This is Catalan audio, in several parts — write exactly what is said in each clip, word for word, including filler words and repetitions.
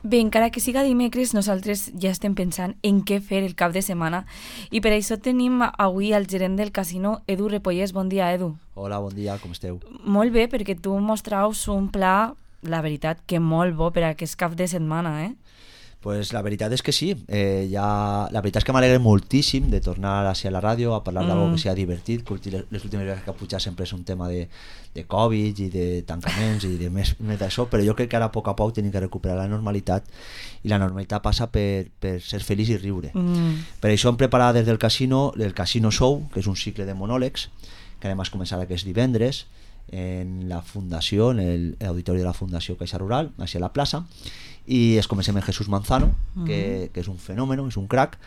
Bé, encara que siga dimecres, nosaltres ja estem pensant en què fer el cap de setmana i per això tenim avui el gerent del casino, Edu Repollés. Bon dia, Edu. Hola, bon dia, com esteu? Molt bé, perquè tu mostraus un pla, la veritat, que molt bo per a aquest cap de setmana, eh? Pues la veritat és que sí, eh, ja, la veritat és que m'alegre moltíssim de tornar a la ràdio a parlar mm. d'algo que sigui divertit, que les últimes vegades que ha pujat sempre és un tema de, de Covid i de tancaments i de més, més d'això, però jo crec que ara a poc a poc tenim que recuperar la normalitat i la normalitat passa per, per ser feliç i riure. Mm. Per això hem preparat des del casino el Casino Show, que és un cicle de monòlegs que anem a començar aquest divendres en la fundació, en l'auditori de la Fundació Caixa Rural, a la plaça, i es comencem amb Jesús Manzano, uh-huh. que, que és un fenòmeno, és un crack,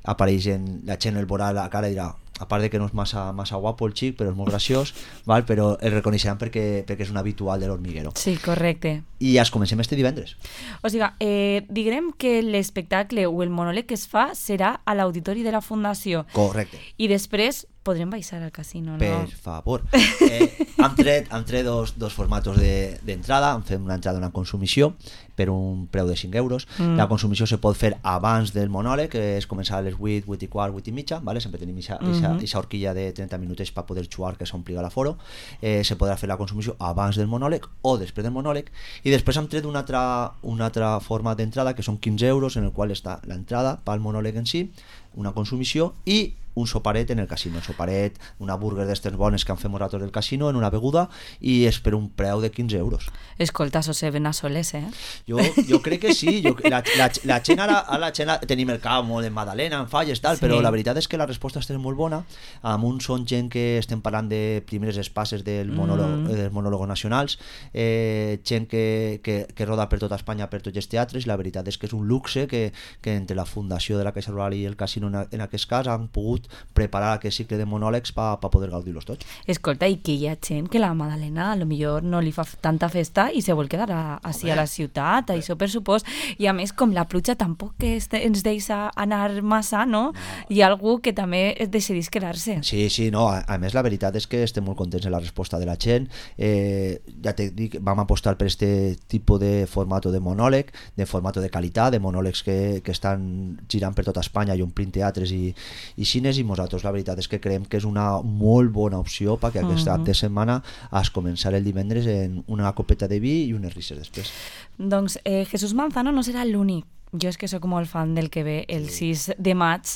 apareix en la gent, el veurà la cara i dirà, a part de que no és massa, massa guapo el xic, però és molt graciós, val? Però el reconeixeran perquè, perquè és un habitual de l'Hormiguero. Sí, correcte. I ja es comencem este divendres. O sigui, eh, diguem que l'espectacle o el monòleg que es fa serà a l'auditori de la Fundació. Correcte. I després podrem baixar al casino, no? Per favor. Eh, hem tret, hem tret dos, dos formatos d'entrada, de, hem fet una entrada, una consumició, per un preu de cinc euros. Mm. La consumició se pot fer abans del monòleg, que és començar a les vuit, vuit i quart, vuit i mitja, ¿vale? Sempre tenim aquesta mm-hmm. horquilla de trenta minuts per poder jugar, que s'ompliga l'aforo. Eh, se podrà fer la consumició abans del monòleg o després del monòleg, i després hem tret un altre, un altre format d'entrada, que són quinze euros, en el qual està l'entrada pel monòleg en si, una consumició i un soparet en el casino, un soparet, una burger d'estes bones que han fet nosaltres del casino, en una beguda, i és per un preu de quinze euros. Escolta, això se ven a soles, eh? Jo, jo crec que sí, jo, la, la, la gent ara, la gent tenim el cap molt en Madalena, en falles, tal, sí. Però la veritat és que la resposta està molt bona, amb un són gent que estem parlant de primeres espases del monòleg, mm. dels monòlegos nacionals, eh, gent que, que, que roda per tota Espanya, per tots els teatres, i la veritat és que és un luxe que, que entre la Fundació de la Caixa Rural i el casino en, en aquest cas han pogut preparar aquest cicle de monòlegs per pa poder gaudir-los tots. Escolta, i que hi ha gent que la Madalena a lo millor no li fa tanta festa i se vol quedar a, així a la ciutat, a això per supost, i a més com la pluja tampoc que ens deixa anar massa, no? no? Hi ha algú que també decidís quedar-se. Sí, sí, no, a, a més la veritat és que estem molt contents en la resposta de la gent, eh, ja te dic, vam apostar per este tipus de formato de monòleg, de formato de qualitat, de monòlegs que, que estan girant per tota Espanya i omplint teatres i, i cines, i nosaltres la veritat és que creiem que és una molt bona opció perquè aquest cap de setmana has començar el divendres en una copeta de vi i unes risses després. Doncs eh, Jesús Manzano no serà l'únic. Jo és que sóc molt fan del que ve el sis de maig,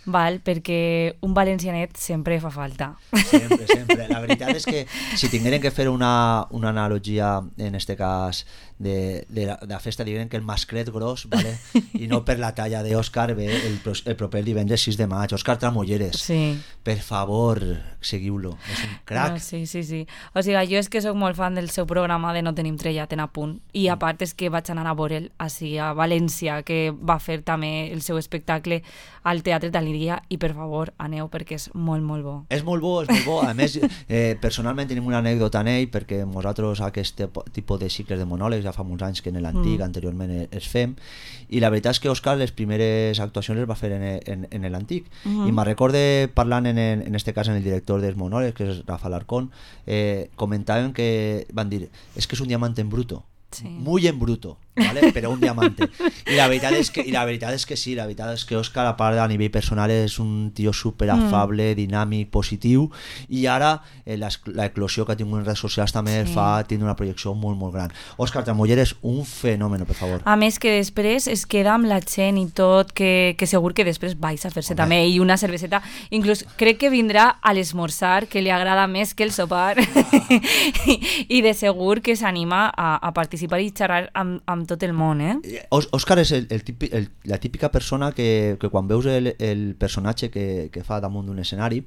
val? Perquè un valencianet sempre fa falta. Sempre, sempre. La veritat és que si tingueren que fer una, una analogia, en este cas, de, de, la, de la festa, diuen que el masclet gros, ¿vale? I no per la talla d'Òscar, ve el, el proper divendres sis de maig. Òscar Tramolleres, sí. Per favor, seguiu-lo. És un crac. No, sí, sí, sí. O sigui, jo és que sóc molt fan del seu programa de No tenim trellat en apunt. I a part és que vaig anar a veure'l així a València, que va fer també el seu espectacle al Teatre Taliria, i per favor aneu perquè és molt molt bo. És molt bo, és molt bo. A més, eh, personalment tenim una anècdota en ell, perquè nosaltres aquest tipus de cicles de monòlegs ja fa molts anys que en l'antic, mm. anteriorment es fem, i la veritat és que Òscar les primeres actuacions les va fer en, en, en l'antic, mm-hmm. i me'n recorde parlant en, en, en este cas en el director dels monòlegs, que és Rafa Larcón, eh, comentaven que van dir, és que és un diamant en bruto, sí. Muy en bruto, ¿vale? Pero un diamante. Y la verdad es que y la verdad es que sí, la verdad es que Òscar, a part a nivell personal, és un tio super afable, mm. dinàmic, positiu, i ara eh, l'eclosió que ha tingut en redes socials també sí. fa tindre una projecció molt molt gran. Òscar Tramolleres, un fenòmeno, per favor. A més que després es queda amb la gent i tot, que, que segur que després vais a fer-se també, i una cerveseta, inclús crec que vindrà a l'esmorzar, que li agrada més que el sopar, I, i de segur que s'anima a, a participar i xerrar amb, amb tot el món, eh? Òscar és el, el típic, el, la típica persona que, que quan veus el, el personatge que, que fa damunt d'un escenari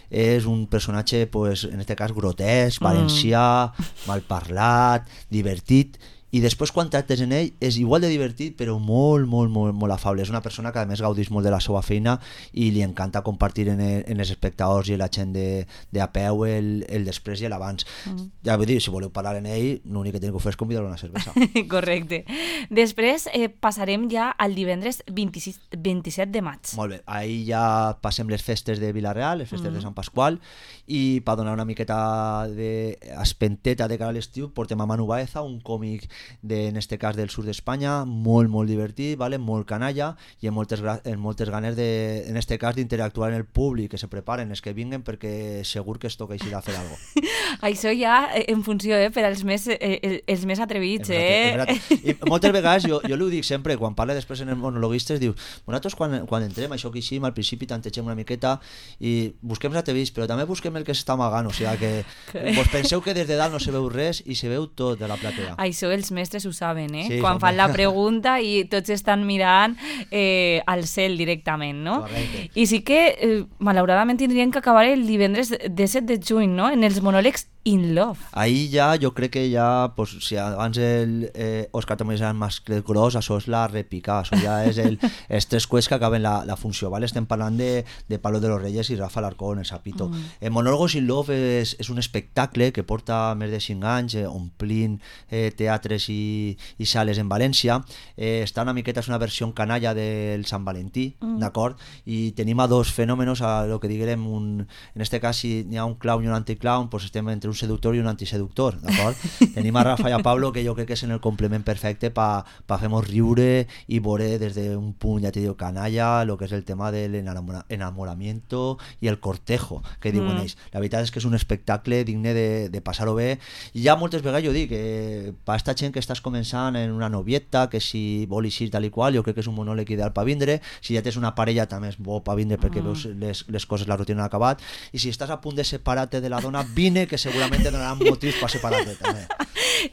és un personatge, pues, en este cas grotesc, valencià, mm. malparlat, divertit, i després quan tractes en ell és igual de divertit però molt, molt, molt, molt afable. És una persona que a més gaudeix molt de la seva feina i li encanta compartir en, el, en els espectadors i la gent de, de a peu el, el després i l'abans. Mm. Ja vull dir, si voleu parlar en ell, l'únic que teniu que fer és convidar-lo a una cervesa. Correcte. Després eh, passarem ja al divendres vint-i-sis, vint-i-set de maig. Molt bé, ahir ja passem les festes de Vila-real, les festes mm. de Sant Pasqual, i per donar una miqueta d'espenteta de cara a l'estiu portem a Manu Baeza, un còmic de, en este cas del sud d'Espanya, molt, molt divertit, vale? Molt canalla i amb moltes, amb moltes ganes de, en este cas d'interactuar en el públic, que se preparen, els que vinguen, perquè segur que es toca així de fer alguna cosa. Això ja en funció, eh, per als més, eh, els més atrevits, eh? I moltes vegades, jo, jo ho dic sempre, quan parle després en els monologuistes, diu, nosaltres quan, quan entrem, això que així, al principi tantegem una miqueta i busquem els atrevits, però també busquem el que s'està amagant, o sigui que vos penseu que des de dalt no se veu res i se veu tot de la platea. Això els mestres ho saben, eh? Sí, quan home. fan la pregunta i tots estan mirant eh, al cel directament, no? Correcte. I sí que, eh, malauradament, tindrien que acabar el divendres disset de juny, no? En els monòlegs In Love. Ahí ja, jo crec que ja, pues, si abans el eh, Òscar també era més gros, això és la repicar, això ja és el, els tres cuets que acaben la, la funció, ¿vale? Estem parlant de, de Pablo de los Reyes i Rafa Alarcón, el Sapito. Mm. El Monólogos in Love és, és un espectacle que porta més de cinc anys, eh, omplint eh, teatres i, i sales en València. Eh, està una miqueta, és una versió canalla del Sant Valentí, mm. d'acord? I tenim a dos fenòmenos, a lo que diguem, un, en este cas, si n'hi ha un clown i un anticlown, pues estem entre un seductor i un antiseductor, d'acord? Tenim a Rafa i a Pablo, que jo crec que és en el complement perfecte per pa fer-nos riure i veure des d'un punt, ja te digo, canalla, lo que és el tema del enamora, enamoramiento i el cortejo, que diuen mm. ells. La veritat és que és un espectacle digne de, de passar-ho bé, i ja moltes vegades jo dic que per aquesta gent que estàs començant en una novieta, que si vol eixir tal i qual, jo crec que és un monòleg ideal per vindre. Si ja tens una parella també és bo per vindre perquè mm. veus les, les coses, la rutina han acabat, i si estàs a punt de separar-te de la dona, vine, que segurament te donaran motius per separar-te també.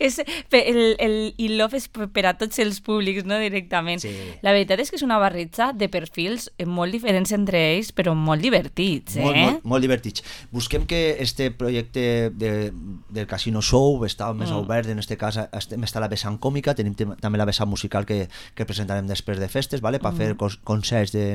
És, el, el In Love és per a tots els públics, no? Directament. Sí. La veritat és que és una barreja de perfils molt diferents entre ells, però molt divertits, eh? Molt, molt, molt divertits. Busquem que este projecte de, del Casino Show està més mm. obert, en este cas estem, està la vessant còmica, tenim també la vessant musical que, que presentarem després de festes, ¿vale? Per mm. fer concerts de,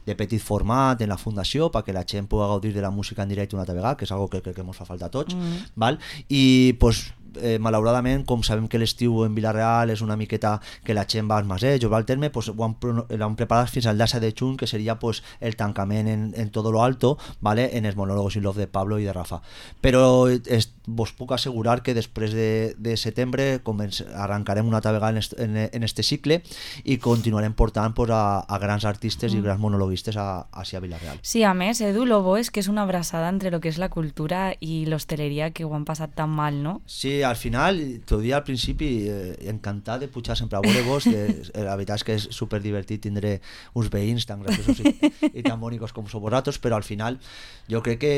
de petit format en la fundació, perquè la gent pugui gaudir de la música en directe una altra vegada, que és algo que crec que ens fa falta a tots, mm. val? I pues Eh, malauradament, com sabem que l'estiu en Vila-real és una miqueta que la gent va als masejos, va al terme, pues, ho han, han preparat fins al disset de juny, que seria pues, el tancament en, en todo lo alto, ¿vale? En els monòlegos in Love de Pablo i de Rafa. Però es, vos puc assegurar que després de, de setembre començ, arrencarem una altra vegada en, est, en, en este cicle i continuarem portant pues, a, a grans artistes mm. i grans monologuistes a, a, a Vila-real. Sí, a més, Edu, lo bo és que és una abraçada entre lo que és la cultura i l'hostaleria, que ho han passat tan mal, no? Sí, al final, t'ho dia al principi, eh, encantat de pujar sempre a veure vos, de, la veritat és que és superdivertit tindre uns veïns tan graciosos i, i tan bonics com sou vosaltres, però al final jo crec que,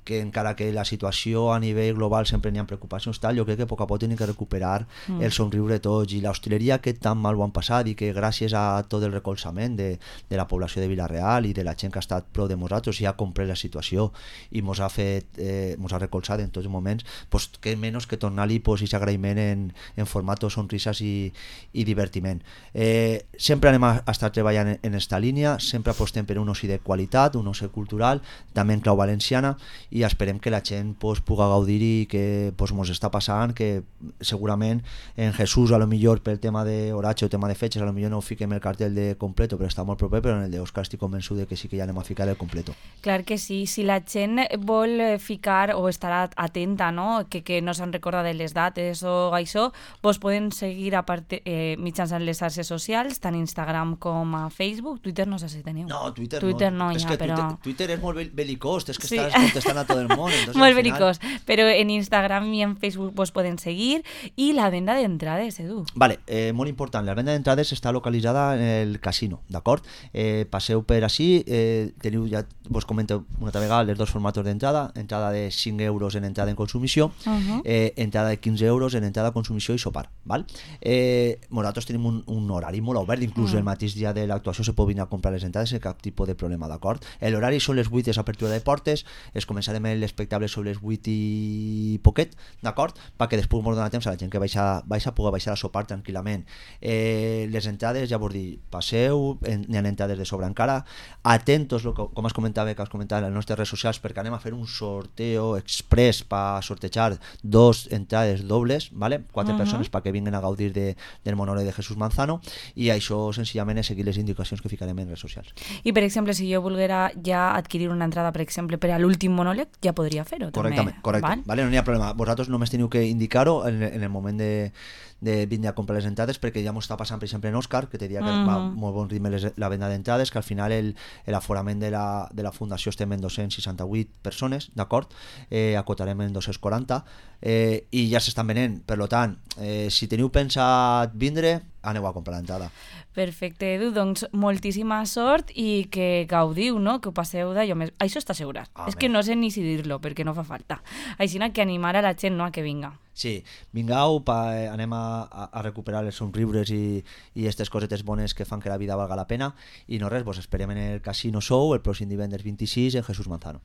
que encara que la situació a nivell global sempre n'hi ha preocupacions tal, jo crec que a poc a poc tenim que recuperar mm. el somriure tots, i l'hostaleria que tan mal ho han passat i que gràcies a tot el recolzament de, de la població de Vila-real i de la gent que ha estat prou de nosaltres i ha comprès la situació i mos ha fet, eh, mos ha recolzat en tots els moments, pues que menys que tornar-li pues, i agraïment en, en format de sonrises i, i divertiment. Eh, sempre anem a, a estar treballant en, en esta línia, sempre apostem per un oci de qualitat, un oci cultural, també en clau valenciana, i esperem que la gent pues, puga gaudir i que pues, mos està passant, que segurament en Jesús a lo millor pel tema d'horatge o tema de fetges a lo millor no fiquem el cartell de completo, però està molt proper, però en el d'Òscar estic convençut de que sí que ja anem a ficar el completo. Clar que sí, si la gent vol ficar o estar atenta, no? que, que no se'n recorda de les dates o això, vos poden seguir a part, eh, mitjançant les xarxes socials, tant Instagram com a Facebook. Twitter no sé si teniu. No, Twitter, Twitter no, no ja, que però... Twitter, Twitter és molt belicós, és que sí. estàs contestant a tot el món. Entonces, molt final... belicós, però en Instagram i en Facebook vos poden seguir. I la venda d'entrades, Edu. Vale, eh, molt important, la venda d'entrades està localitzada en el casino, d'acord? Eh, passeu per així, eh, teniu, ja vos comento una altra vegada, els dos formats d'entrada, entrada de cinc euros en entrada en consumició, uh -huh. eh, entrada de quinze euros en entrada, consumició i sopar, val? Eh, nosaltres tenim un, un horari molt obert, inclús mm. el mateix dia de l'actuació se pot venir a comprar les entrades sense cap tipus de problema, d'acord? L'horari són les vuit, és apertura de portes, es començarem l'espectacle sobre les vuit i poquet, d'acord? Perquè després mos dona temps a la gent que baixa, baixa pugui baixar a sopar tranquil·lament. Eh, les entrades, ja vos dic, passeu, n'hi ha entrades de sobre encara, atentos, lo que, com es comentava, que has comentat en les nostres redes socials, perquè anem a fer un sorteo express per sortejar dos entrades dobles, ¿vale? Quatre uh -huh. persones perquè vinguin a gaudir de, del monòleg de Jesús Manzano, i això senzillament és seguir les indicacions que ficarem en redes socials. I per exemple, si jo volguera ja adquirir una entrada, per exemple, per a l'últim monòleg, ja podria fer-ho. Correctament, també, correcte. Val? vale? No n'hi ha problema. Vosaltres només teniu que indicar-ho en, en el moment de, de vindre a comprar les entrades, perquè ja m'ho està passant, per exemple, en Òscar, que te diria que mm-hmm. va molt bon ritme les, la venda d'entrades, que al final el, l'aforament de la, de la fundació estem en dos-cents seixanta-vuit persones, d'acord? Eh, acotarem en dos-cents quaranta, eh, i ja s'estan venent. Per tant, eh, si teniu pensat vindre, aneu a comprar l'entrada. Perfecte, Edu, doncs moltíssima sort i que gaudiu, no? Que ho passeu d'allò més... Això està assegurat. Amén. És que no sé ni si dir-lo, perquè no fa falta. Així que animar a la gent, no?, a que vinga. Sí, vingueu, pa, eh, anem a, a recuperar els somriures i, i aquestes cosetes bones que fan que la vida valga la pena, i no res, vos esperem en el Casino Show el pròxim divendres vint-i-sis en Jesús Manzano.